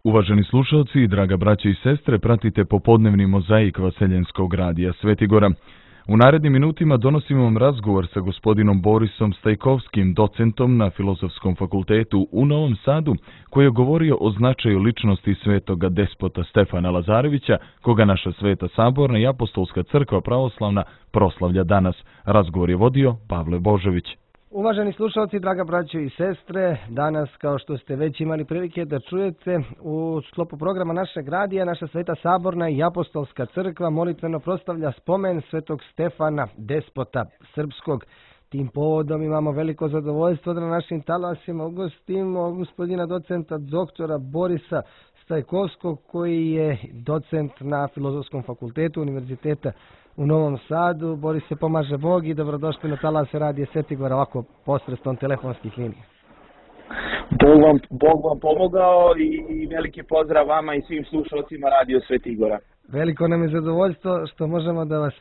Uvaženi slušalci i draga braće i sestre, pratite popodnevni mozaik Vaseljenskog radija Svetigora. U narednim minutima donosimo vam razgovor sa gospodinom Borisom Stajkovskim, docentom na Filozofskom fakultetu u Novom Sadu, koji je govorio o značaju ličnosti svetoga despota Stefana Lazarevića, koga naša Sveta Saborna i Apostolska crkva pravoslavna proslavlja danas. Razgovor je vodio Pavle Božović. Uvaženi slušalci, draga braćo i sestre, danas, kao što ste već imali prilike da čujete, u sklopu programa našeg radija, naša Sveta Saborna i Apostolska crkva molitveno proslavlja spomen svetog Stefana, despota srpskog. Tim povodom imamo veliko zadovoljstvo da na našim talasima ugostimo gospodina docenta doktora Borisa Stajkovskog, koji je docent na Filozofskom fakultetu Univerziteta u Novom Sadu. Boris, se pomaže Bog i dobrodošli na talase radije Svetigora ovako posredstvom telefonskih linija. Bog vam pomogao i veliki pozdrav vama i svim slušalcima radio Svetigora. Veliko nam je zadovoljstvo što možemo da vas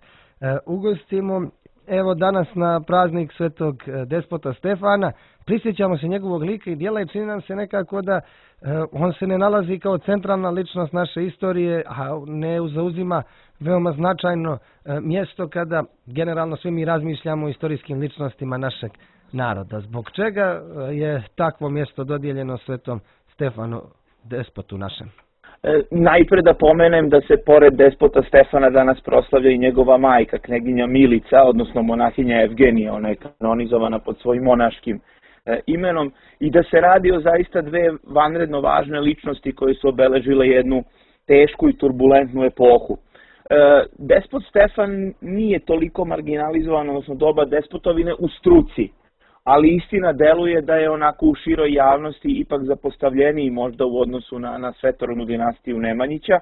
ugostimo. Evo, danas na praznik svetog despota Stefana prisjećamo se njegovog lika i djela i čini nam se nekako da on se ne nalazi kao centralna ličnost naše istorije, a ne zauzima veoma značajno mjesto kada generalno svi mi razmišljamo o istorijskim ličnostima našeg naroda. Zbog čega je takvo mjesto dodijeljeno svetom Stefanu, despotu našem? Najpre da pomenem da se pored despota Stefana danas proslavlja i njegova majka, kneginja Milica, odnosno monahinja Evgenija. Ona je kanonizovana pod svojim monaškim imenom i da se radi o zaista dve vanredno važne ličnosti koje su obeležile jednu tešku i turbulentnu epohu. Despot Stefan nije toliko marginalizovan, odnosno doba despotovine u struci, ali istina deluje da je onako u široj javnosti ipak zapostavljeniji možda u odnosu na svetorodnu dinastiju Nemanjića,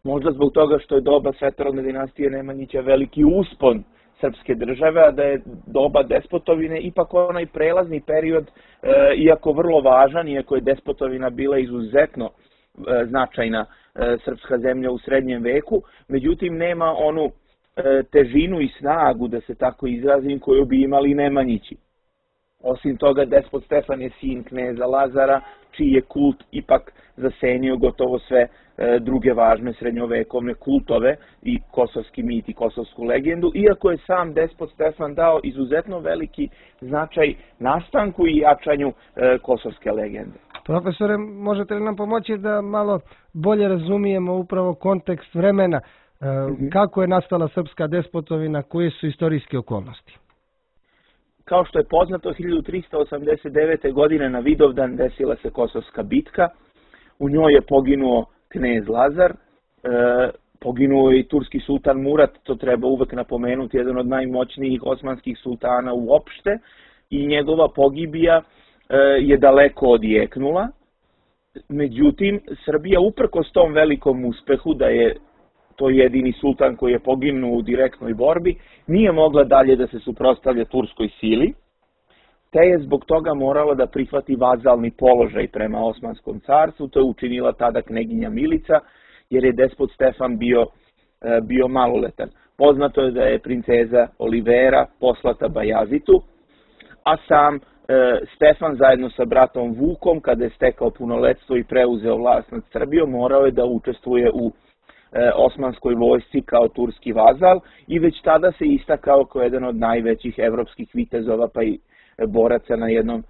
možda zbog toga što je doba svetorodne dinastije Nemanjića veliki uspon srpske države, a da je doba despotovine ipak onaj prelazni period, iako vrlo važan, iako je despotovina bila izuzetno značajna srpska zemlja u srednjem veku, međutim nema onu težinu i snagu, da se tako izrazim, koju bi imali Nemanjići. Osim toga, despot Stefan je sin kneza Lazara, čiji je kult ipak zasenio gotovo sve druge važne srednjovekovne kultove i kosovski mit i kosovsku legendu, iako je sam despot Stefan dao izuzetno veliki značaj nastanku i jačanju kosovske legende. Profesore, možete li nam pomoći da malo bolje razumijemo upravo kontekst vremena, kako je nastala srpska despotovina, koje su istorijske okolnosti? Kao što je poznato, 1389. godine na Vidovdan desila se Kosovska bitka. U njoj je poginuo knez Lazar, poginuo je i turski sultan Murat, to treba uvek napomenuti, jedan od najmoćnijih osmanskih sultana uopšte, i njegova pogibija je daleko odjeknula. Međutim, Srbija uprkos tom velikom uspehu da je to jedini sultan koji je poginuo u direktnoj borbi, nije mogla dalje da se suprotstavlja turskoj sili, te je zbog toga morala da prihvati vazalni položaj prema Osmanskom carstvu. To je učinila tada kneginja Milica, jer je despot Stefan bio maloletan. Poznato je da je princeza Olivera poslata Bajazitu, a sam Stefan zajedno sa bratom Vukom, kada je stekao punoletstvo i preuzeo vlast nad Srbijom, morao je da učestvuje u osmanskoj vojsci kao turski vazal i već tada se istakao kao jedan od najvećih evropskih vitezova pa i boraca na jednom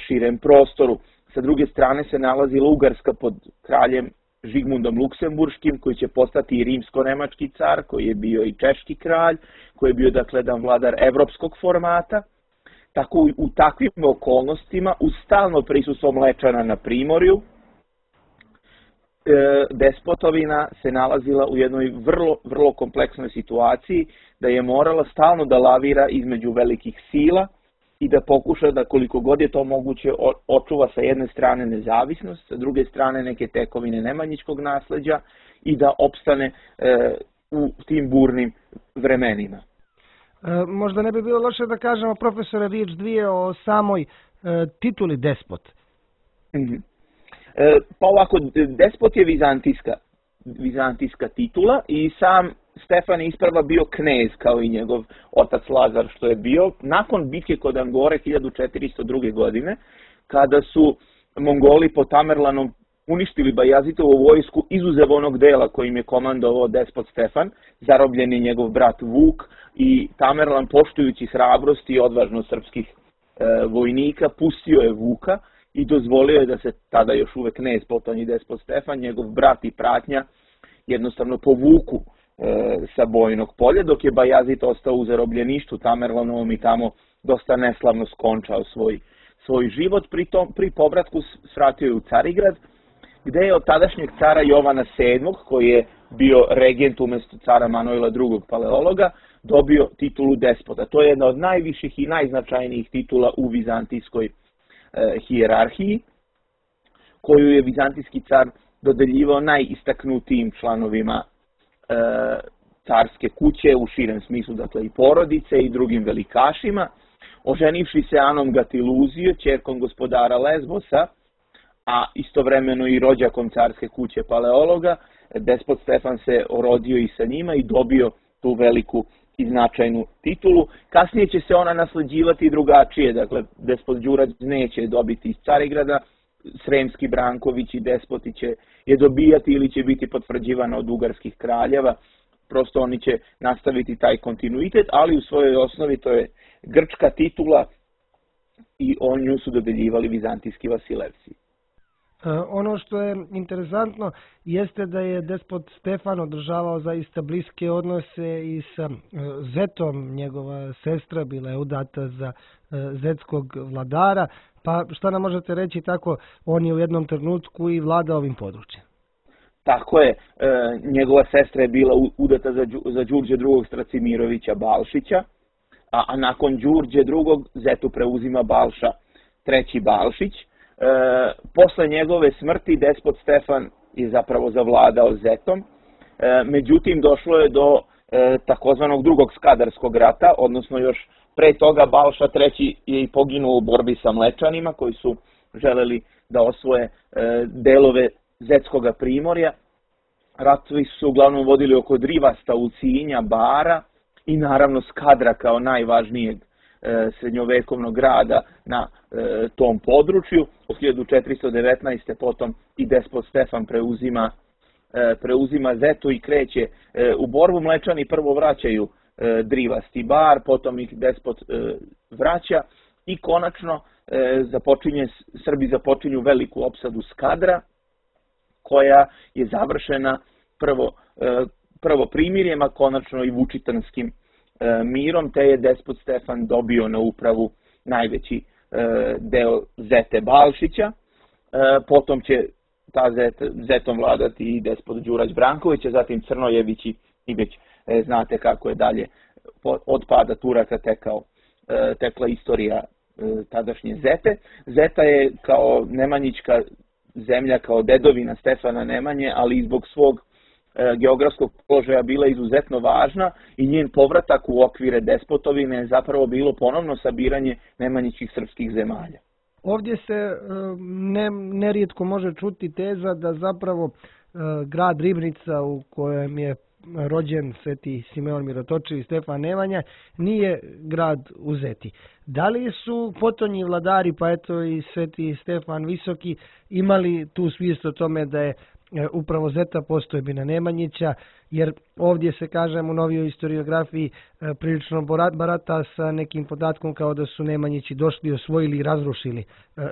širem prostoru. Sa druge strane se nalazila Ugarska pod kraljem Žigmundom Luksemburškim, koji će postati i rimsko-nemački car, koji je bio i češki kralj, koji je bio dakle jedan vladar evropskog formata. Tako u takvim okolnostima, uz stalno prisustvo Mlečana na primorju, despotovina se nalazila u jednoj vrlo kompleksnoj situaciji, da je morala stalno da lavira između velikih sila i da pokuša da koliko god je to moguće očuva sa jedne strane nezavisnost, sa druge strane neke tekovine nemanjičkog nasleđa i da opstane u tim burnim vremenima. Možda ne bi bilo loše da kažemo, profesore, riječ dvije o samoj tituli despot. Pa ovako, despot je vizantijska titula i sam Stefan je isprva bio knez kao i njegov otac Lazar što je bio. Nakon bitke kod Angore 1402. godine, kada su Mongoli pod Tamerlanom uništili Bajazitovu vojsku izuzev onog dela kojim je komandovao despot Stefan, zarobljen je njegov brat Vuk i Tamerlan, poštujući hrabrost i odvažnost srpskih vojnika, pustio je Vuka i dozvolio je da se tada još uvek knez, potom i despot Stefan, njegov brat i pratnja jednostavno povuku sa bojnog polja, dok je Bajazit ostao u zarobljeništvu Tamerlanovom i tamo dosta neslavno skončao svoj život. Pri povratku svratio je u Carigrad, gde je od tadašnjeg cara Jovana VII, koji je bio regent umjesto cara Manojla II. Paleologa, dobio titulu despota. To je jedna od najviših i najznačajnijih titula u vizantijskoj hijerarhiji, koju je vizantijski car dodeljivao najistaknutijim članovima carske kuće u širem smislu, dakle i porodice i drugim velikašima. Oženivši se Anom Gatiluzio, ćerkom gospodara Lesbosa, a istovremeno i rođakom carske kuće Paleologa, despot Stefan se orodio i sa njima i dobio tu veliku i značajnu titulu. Kasnije će se ona nasleđivati drugačije, dakle despot Đurađ neće dobiti iz Carigrada, Sremski Branković i despoti će je dobijati ili će biti potvrđivana od ugarskih kraljeva. Prosto oni će nastaviti taj kontinuitet, ali u svojoj osnovi to je grčka titula i nju su dodeljivali vizantijski Vasilevsi. Ono što je interesantno jeste da je despot Stefan održavao zaista bliske odnose i sa zetom, njegova sestra bila je udata za zetskog vladara, pa šta nam možete reći tako, on je u jednom trenutku i vladao ovim područjem. Tako je, njegova sestra je bila udata za Đurđe II. Stracimirovića Balšića, a nakon Đurđe II. Zetu preuzima Balša III. Balšić. Posle njegove smrti despot Stefan je zapravo zavladao zetom, međutim došlo je do takozvanog drugog Skadarskog rata, odnosno još pre toga Balša III. Je i poginuo u borbi sa Mlečanima koji su želeli da osvoje delove Zetskoga primorja. Ratovi su uglavnom vodili oko Drivasta, Ulcinja, Bara i naravno Skadra kao najvažnijeg srednjovekovnog grada na tom području. Od 1419. potom i despot Stefan preuzima Zetu i kreće u borbu. Mlečani prvo vraćaju Drivast i Bar, potom ih despot vraća i konačno Srbi započinju veliku opsadu Skadra, koja je završena prvo primirjem, a konačno i Vučitanskim mirom, te je despot Stefan dobio na upravu najveći deo Zete Balšića. Potom će ta Zetom vladati i despot Đurađ Branković, a zatim Crnojevići i već znate kako je dalje od pada Turaka tekla istorija tadašnje Zete. Zeta je kao nemanjička zemlja, kao dedovina Stefana Nemanje, ali i zbog svog geografskog položaja bila izuzetno važna i njen povratak u okvire despotovine je zapravo bilo ponovno sabiranje nemanjičkih srpskih zemalja. Ovdje se nerijetko može čuti teza da zapravo grad Ribnica u kojem je rođen Sveti Simeon Mirotočiv i Stefan Nemanja nije grad u Zeti. Da li su potonji vladari, pa eto i Sveti Stefan Visoki, imali tu svijest o tome da je upravo Zeta postojbina Nemanjića, jer ovdje se, kažem, u novijoj historiografiji prilično barata sa nekim podatkom kao da su Nemanjići došli, osvojili i razrušili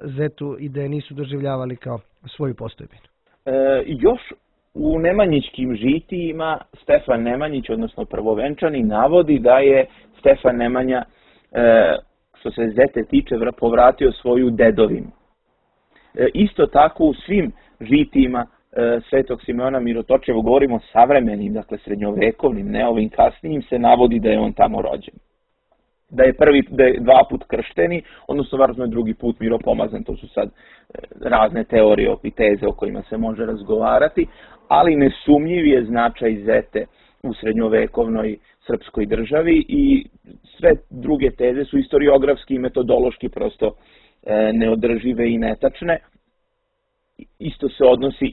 Zetu i da je nisu doživljavali kao svoju postojbinu. Još u nemanjičkim žitijima Stefan Nemanjić, odnosno prvovenčani, navodi da je Stefan Nemanja, što se Zete tiče, povratio svoju dedovinu. Isto tako u svim žitijima Svetog Simeona Mirotočeva, govorimo o savremenim, dakle srednjovekovnim, ne ovim kasnijim, se navodi da je on tamo rođen. Da je dva put kršteni, odnosno važno je drugi put miropomazan, to su sad razne teorije i teze o kojima se može razgovarati, ali nesumnjiv je značaj Zete u srednjovekovnoj srpskoj državi i sve druge teze su historiografski i metodološki prosto neodržive i netačne. Isto se odnosi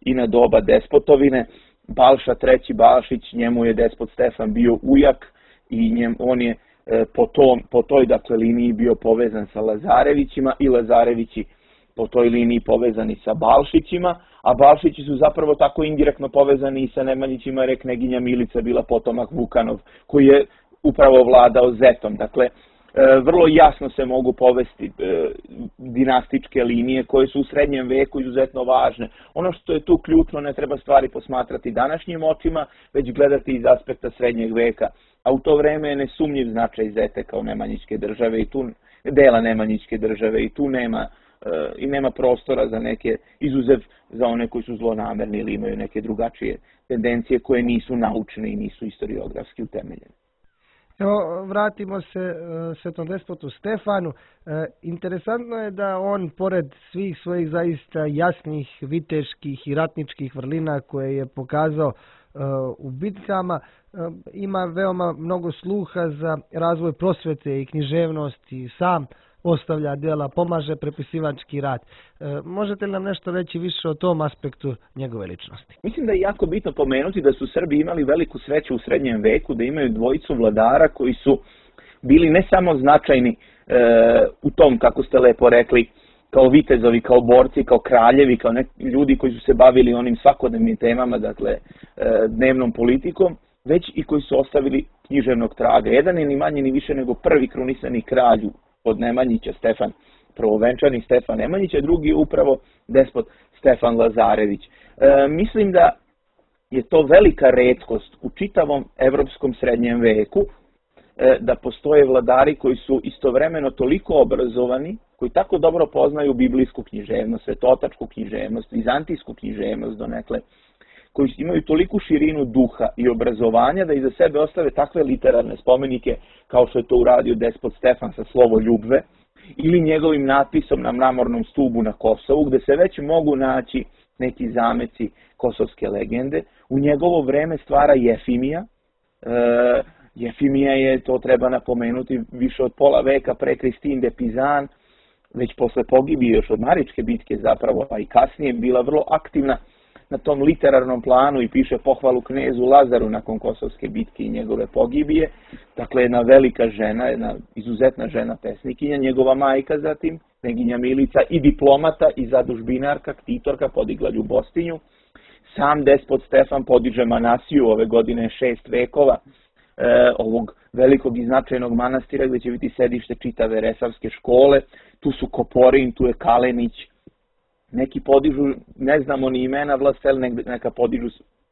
i na doba despotovine. Balša III. Balšić, njemu je despot Stefan bio ujak i on je po toj dakle liniji bio povezan sa Lazarevićima i Lazarevići po toj liniji povezani sa Balšićima, a Balšići su zapravo tako indirektno povezani i sa Nemanjićima, jer je kneginja Milica bila potomak Vukanov, koji je upravo vladao Zetom. Dakle, vrlo jasno se mogu povesti dinastičke linije koje su u srednjem veku izuzetno važne. Ono što je tu ključno, ne treba stvari posmatrati današnjim očima, već gledati iz aspekta srednjeg veka. A u to vreme je nesumnjiv značaj Zete kao Nemanjićke države i tu dela Nemanjićke države i tu nema prostora za neke izuzev za one koji su zlonamerni ili imaju neke drugačije tendencije koje nisu naučne i nisu historiografski utemeljene. Evo, vratimo se svetom despotu Stefanu. Interesantno je da on, pored svih svojih zaista jasnih viteških i ratničkih vrlina koje je pokazao u bitkama, ima veoma mnogo sluha za razvoj prosvete i književnosti, sam ostavlja djela, pomaže prepisivački rad. Možete li nam nešto reći više o tom aspektu njegove ličnosti? Mislim da je jako bitno pomenuti da su Srbi imali veliku sreću u srednjem veku, da imaju dvojicu vladara koji su bili ne samo značajni u tom, kako ste lepo rekli, kao vitezovi, kao borci, kao kraljevi, kao ljudi koji su se bavili onim svakodnevnim temama, dakle dnevnom politikom, već i koji su ostavili književnog traga. Jedan je ni manje ni više nego prvi krunisani kralj od Nemanjića, Stefan, prvovenčani Stefan Nemanjić, a drugi je upravo despot Stefan Lazarević. Mislim da je to velika retkost u čitavom evropskom srednjem veku, da postoje vladari koji su istovremeno toliko obrazovani, koji tako dobro poznaju biblijsku književnost, svetotačku književnost, vizantijsku književnost donekle, koji imaju toliku širinu duha i obrazovanja da iza sebe ostave takve literarne spomenike kao što je to uradio despot Stefan sa Slovoljubve ili njegovim natpisom na mramornom stubu na Kosovu, gde se već mogu naći neki zameci kosovske legende. U njegovo vreme stvara Jefimija. Jefimija je, to treba napomenuti, više od pola veka pre Kristin de Pizan, već posle pogibije još od Maričke bitke zapravo, a i kasnije bila vrlo aktivna na tom literarnom planu i piše pohvalu knezu Lazaru nakon Kosovske bitke i njegove pogibije. Dakle, jedna velika žena, jedna izuzetna žena pesnikinja, njegova majka zatim, kneginja Milica, i diplomata i zadužbinarka, ktitorka, podigla Ljubostinju. Sam despot Stefan podiže Manasiju, ove godine 6 vekova, ovog velikog i značajnog manastira gdje će biti sedište čitave Resavske škole. Tu su Koporin, tu je Kalenić. Neki podižu, ne znamo ni imena vlastela, neka podižu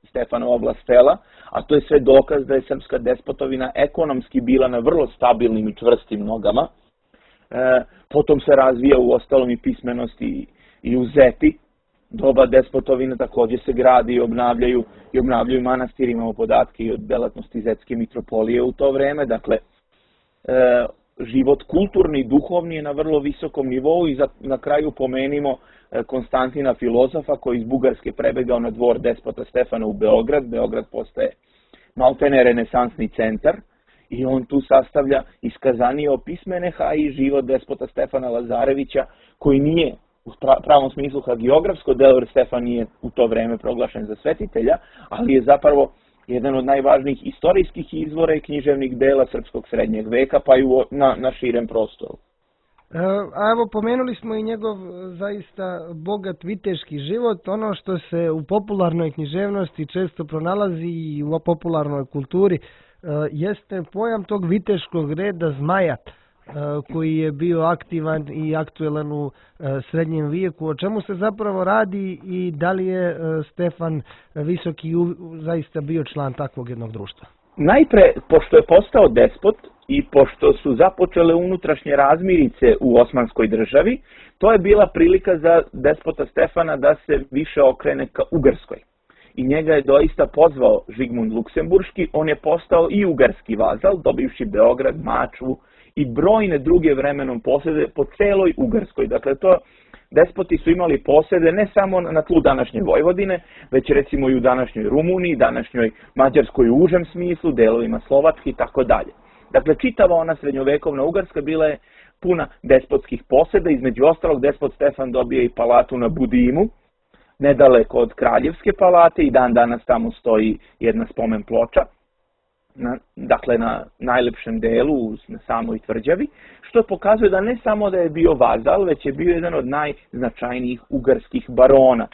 Stefanova vlastela, a to je sve dokaz da je srpska despotovina ekonomski bila na vrlo stabilnim i čvrstim nogama. Potom se razvija u ostalom i pismenosti i u Zeti. Doba despotovine također se gradi i obnavljaju manastiri. Imamo podatke i od delatnosti Zetske mitropolije u to vreme. Dakle, život kulturni i duhovni je na vrlo visokom nivou i na kraju pomenimo Konstantina filozofa koji iz Bugarske prebegao na dvor despota Stefana u Beograd. Beograd postaje maltene renesansni centar i on tu sastavlja iskazanije o pismeneha i život despota Stefana Lazarevića koji nije u pravom smislu hagiografsko delo, jer Stefan nije u to vreme proglašen za svetitelja, ali je zapravo jedan od najvažnijih istorijskih izvora i književnih dela srpskog srednjeg veka, pa i na širem prostoru. A evo, pomenuli smo i njegov zaista bogat viteški život. Ono što se u popularnoj književnosti često pronalazi i u popularnoj kulturi jeste pojam tog viteškog reda Zmaja, koji je bio aktivan i aktuelan u srednjem vijeku. O čemu se zapravo radi i da li je Stefan Visoki zaista bio član takvog jednog društva? Najpre, pošto je postao despot i pošto su započele unutrašnje razmirice u Osmanskoj državi, to je bila prilika za despota Stefana da se više okrene ka Ugarskoj. I njega je doista pozvao Žigmund Luksemburški, on je postao i ugarski vazal, dobivši Beograd, Mačvu i brojne druge vremenom posede po celoj Ugarskoj. Dakle, despoti su imali posede ne samo na tlu današnje Vojvodine, već recimo i u današnjoj Rumuniji, današnjoj Mađarskoj u užem smislu, delovima Slovačke i tako dalje. Dakle, čitava ona srednjovekovna Ugarska bila je puna despotskih poseda, između ostalog despot Stefan dobije i palatu na Budimu, nedaleko od Kraljevske palate, i dan danas tamo stoji jedna spomen ploča. dakle na najlepšem delu, na samoj tvrđavi, što pokazuje da ne samo da je bio vazal, već je bio jedan od najznačajnijih ugarskih barona.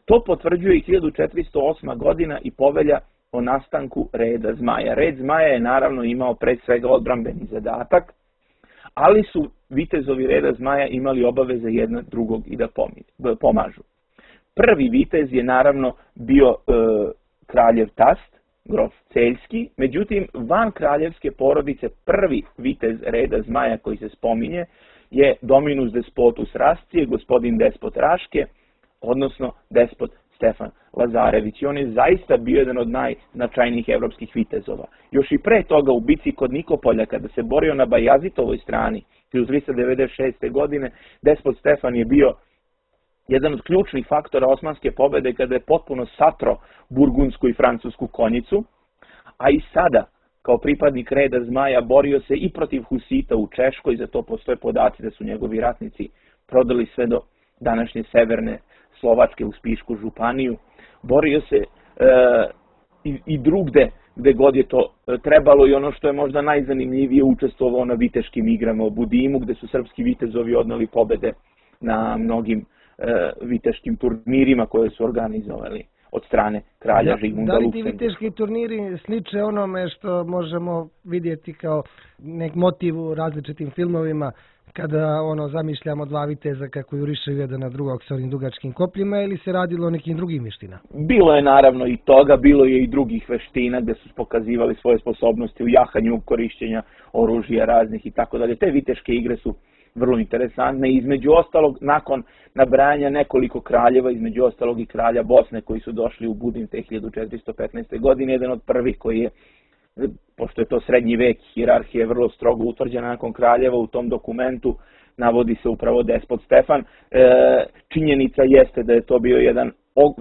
To potvrđuje i 1408. godina i povelja o nastanku reda Zmaja. Red Zmaja je naravno imao pre svega odbrambeni zadatak, ali su vitezovi reda Zmaja imali obaveze jednog drugog i da pomažu. Prvi vitez je naravno bio kraljev tast, grof Celjski, međutim van kraljevske porodice prvi vitez reda Zmaja koji se spominje je Dominus Despotus Rascije, gospodin Despot Raške, odnosno despot Stefan Lazarević. I on je zaista bio jedan od najznačajnijih evropskih vitezova. Još i pre toga u bici kod Nikopolja, kada se borio na Bajazitovoj strani, 1396. godine, despot Stefan je bio jedan od ključnih faktora osmanske pobede kada je potpuno satro burgundsku i francusku konjicu, a i sada, kao pripadnik reda Zmaja, borio se i protiv Husita u Češkoj, za to postoje podaci da su njegovi ratnici prodali sve do današnje severne Slovačke u Spišku županiju. Borio se i drugde gde god je to trebalo i ono što je možda najzanimljivije, učestvovao na viteškim igrama u Budimu, gde su srpski vitezovi odneli pobede na mnogim viteškim turnirima koje su organizovali od strane kralja Žigmunda Luksemburga. Da li ti viteški turniri sliče onome što možemo vidjeti kao nek motiv u različitim filmovima, kada zamišljamo dva viteza kako jurišaju jedan na drugog sa onim dugačkim kopljima, ili se radilo o nekim drugim veština? Bilo je naravno i toga, bilo je i drugih veština gde su pokazivali svoje sposobnosti u jahanju, korišćenja oružja raznih i tako dalje. Te viteške igre su vrlo interesantne. Između ostalog, nakon nabrajanja nekoliko kraljeva, između ostalog i kralja Bosne koji su došli u Budim te 1415. godine, jedan od prvih koji je, pošto je to srednji vek, hijerarhija je vrlo strogo utvrđena nakon kraljeva, u tom dokumentu navodi se upravo despot Stefan. Činjenica jeste da je to bio jedan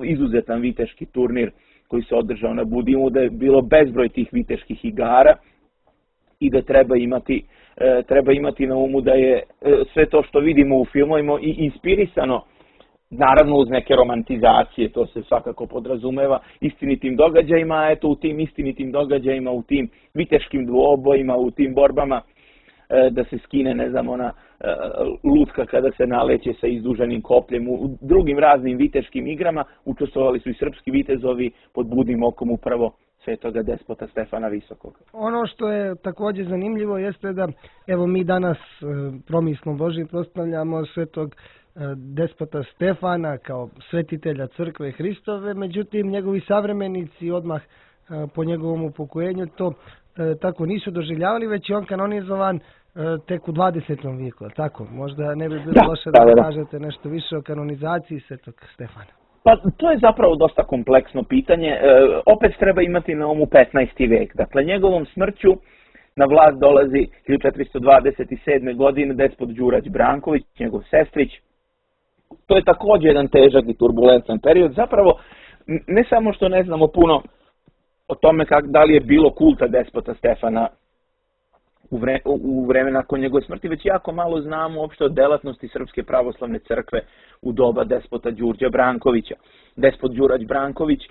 izuzetan viteški turnir koji se održao na Budimu, da je bilo bezbroj tih viteških igara i da treba imati na umu da je sve to što vidimo u filmovima i inspirisano, naravno uz neke romantizacije, to se svakako podrazumeva, istinitim događajima, a eto u tim istinitim događajima, u tim viteškim dvobojima, u tim borbama, da se skine, ne znam, ona lutka kada se naleće sa izduženim kopljem, u drugim raznim viteškim igrama učestvovali su i srpski vitezovi pod budnim okom upravo svetoga despota Stefana Visokog. Ono što je također zanimljivo jeste da evo mi danas promislom Božim proslavljamo svetog despota Stefana kao svetitelja crkve Hristove, međutim njegovi savremenici odmah po njegovom upokojenju to tako nisu doživljavali, već je on kanonizovan tek u 20. vijeku, tako? Možda ne bi bilo loše da kažete nešto više o kanonizaciji svetog Stefana. Pa to je zapravo dosta kompleksno pitanje. Opet treba imati na umu 15. vek. Dakle, njegovom smrću na vlast dolazi 1427. godine despot Đurađ Branković, njegov sestrić. To je također jedan težak i turbulentan period. Zapravo, ne samo što ne znamo puno o tome da li je bilo kulta despota Stefana u vreme nakon njegove smrti, već jako malo znamo uopšte o delatnosti Srpske pravoslavne crkve u doba despota Đurđa Brankovića. Despot Đurađ Branković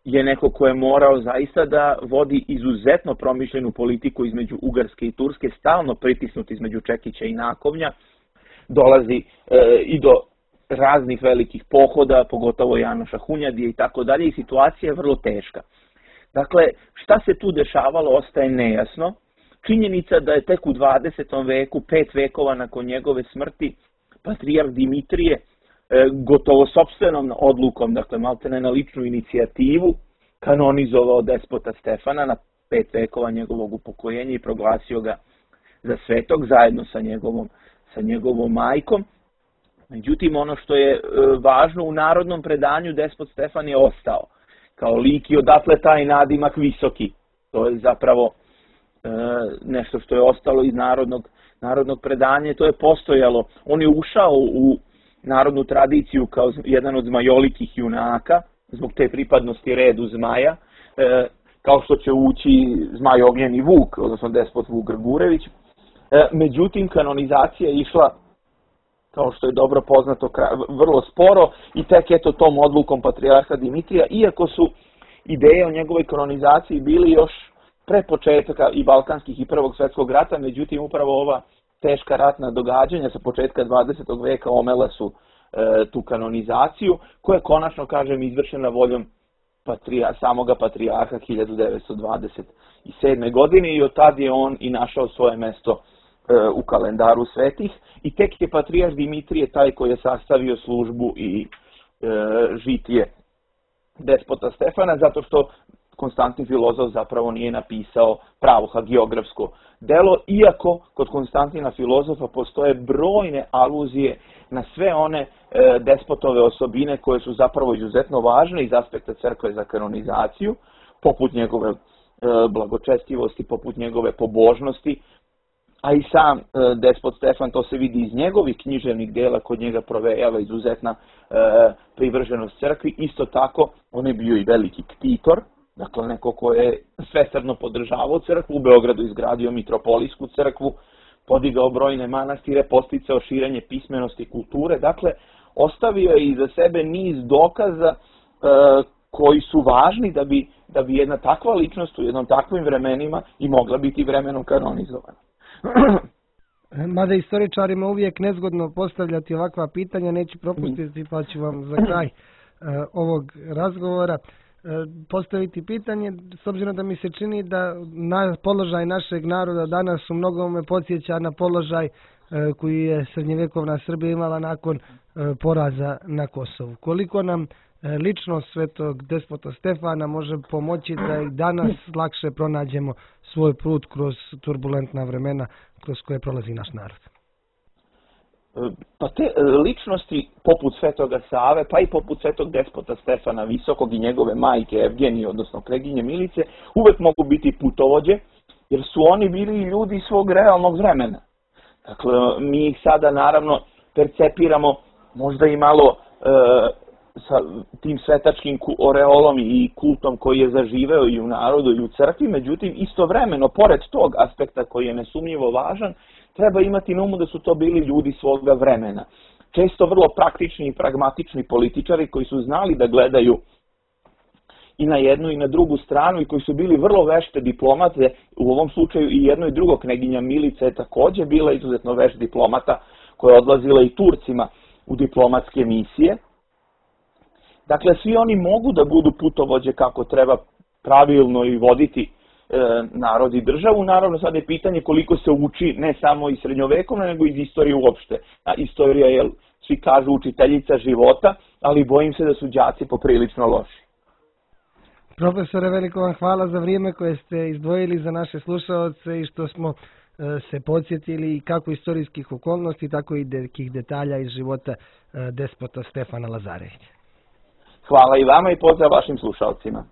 je neko ko je morao zaista da vodi izuzetno promišljenu politiku između Ugarske i Turske, stalno pritisnut između Čekića i Nakovnja. Dolazi i do raznih velikih pohoda, pogotovo Janoša Hunjadije i tako dalje, i situacija je vrlo teška. Dakle, šta se tu dešavalo ostaje nejasno. Činjenica da je tek u 20. veku, 5 vekova nakon njegove smrti, patrijarh Dimitrije gotovo sopstvenom odlukom, dakle maltene na ličnu inicijativu, kanonizovao despota Stefana na 5 vekova njegovog upokojenja i proglasio ga za svetog zajedno sa njegovom majkom. Međutim, ono što je važno, u narodnom predanju despot Stefan je ostao kao lik i odatle taj nadimak Visoki. To je zapravo nešto što je ostalo iz narodnog predanja, to je postojalo. On je ušao u narodnu tradiciju kao jedan od zmajolikih junaka, zbog te pripadnosti redu Zmaja, kao što će ući Zmaj Ognjeni Vuk, odnosno despot Vuk Grgurević. Međutim, kanonizacija je išla, kao što je dobro poznato, vrlo sporo i tek eto tom odlukom patrijarha Dimitrija, ideje o njegovoj kanonizaciji bili još pre početka i Balkanskih i Prvog svjetskog rata, međutim upravo ova teška ratna događanja sa početka 20. veka omela su tu kanonizaciju, koja je konačno, kažem, izvršena voljom samoga patrijarha 1927. godine i od tad je on i našao svoje mesto u kalendaru svetih i tek je patrijarh Dimitrije taj koji je sastavio službu i žitije despota Stefana, zato što Konstantin Filozof zapravo nije napisao pravo hagiografsko delo, iako kod Konstantina Filozofa postoje brojne aluzije na sve one despotove osobine koje su zapravo izuzetno važne iz aspekta crkve za kanonizaciju, poput njegove blagočestivosti, poput njegove pobožnosti, a i sam despot Stefan, to se vidi iz njegovih književnih dela, kod njega provejava izuzetna privrženost crkvi. Isto tako, on je bio i veliki ktitor, dakle neko ko je svesrdno podržavao crkvu, u Beogradu izgradio mitropolijsku crkvu, podigao brojne manastire, podsticao širenje pismenosti i kulture, dakle ostavio je iza sebe niz dokaza koji su važni da bi jedna takva ličnost u jednom takvim vremenima i mogla biti vremenom kanonizovana. Mada istoričarima uvijek nezgodno postavljati ovakva pitanja, neću propustiti pa ću vam za kraj ovog razgovora postaviti pitanje, s obzirom da mi se čini da položaj našeg naroda danas u mnogome podsjeća na položaj koji je srednjevjekovna Srbija imala nakon poraza na Kosovu. Koliko nam ličnost svetog despota Stefana može pomoći da i danas lakše pronađemo svoj put kroz turbulentna vremena kroz koje prolazi naš narod? Pa te ličnosti poput Svetoga Save, pa i poput Svetog despota Stefana Visokog i njegove majke Evgenije, odnosno Kneginje Milice, uvek mogu biti putovođe, jer su oni bili ljudi svog realnog vremena. Dakle, mi ih sada naravno percepiramo možda i malo sa tim svetačkim oreolom i kultom koji je zaživeo i u narodu i u crkvi, međutim istovremeno, pored tog aspekta koji je nesumnjivo važan, treba imati na umu da su to bili ljudi svoga vremena. Često vrlo praktični i pragmatični političari koji su znali da gledaju i na jednu i na drugu stranu i koji su bili vrlo vešte diplomate, u ovom slučaju i jedno i drugo. Kneginja Milica je također bila izuzetno vešt diplomata koja je odlazila i Turcima u diplomatske misije. Dakle, svi oni mogu da budu putovođe kako treba pravilno i voditi narod i državu. Naravno, sad je pitanje koliko se uči ne samo iz srednjovekovne, nego iz istorije uopšte. A istorija je, svi kažu, učiteljica života, ali bojim se da su đaci poprilično loši. Profesore, veliko vam hvala za vrijeme koje ste izdvojili za naše slušaoce i što smo se podsjetili kako istorijskih okolnosti, tako i nekih detalja iz života despota Stefana Lazarevića. Hvala i vama i pozdrav vašim slušalcima.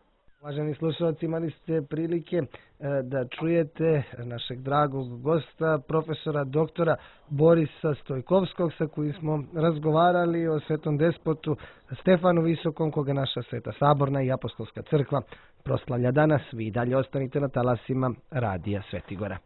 Uvaženi slušalci, imali ste prilike da čujete našeg dragog gosta, profesora doktora Borisa Stojkovskog, sa kojim smo razgovarali o svetom despotu Stefanu Visokom, koga naša Sveta Saborna i Apostolska crkva proslavlja danas. Vi dalje ostanite na talasima Radija Svetigora.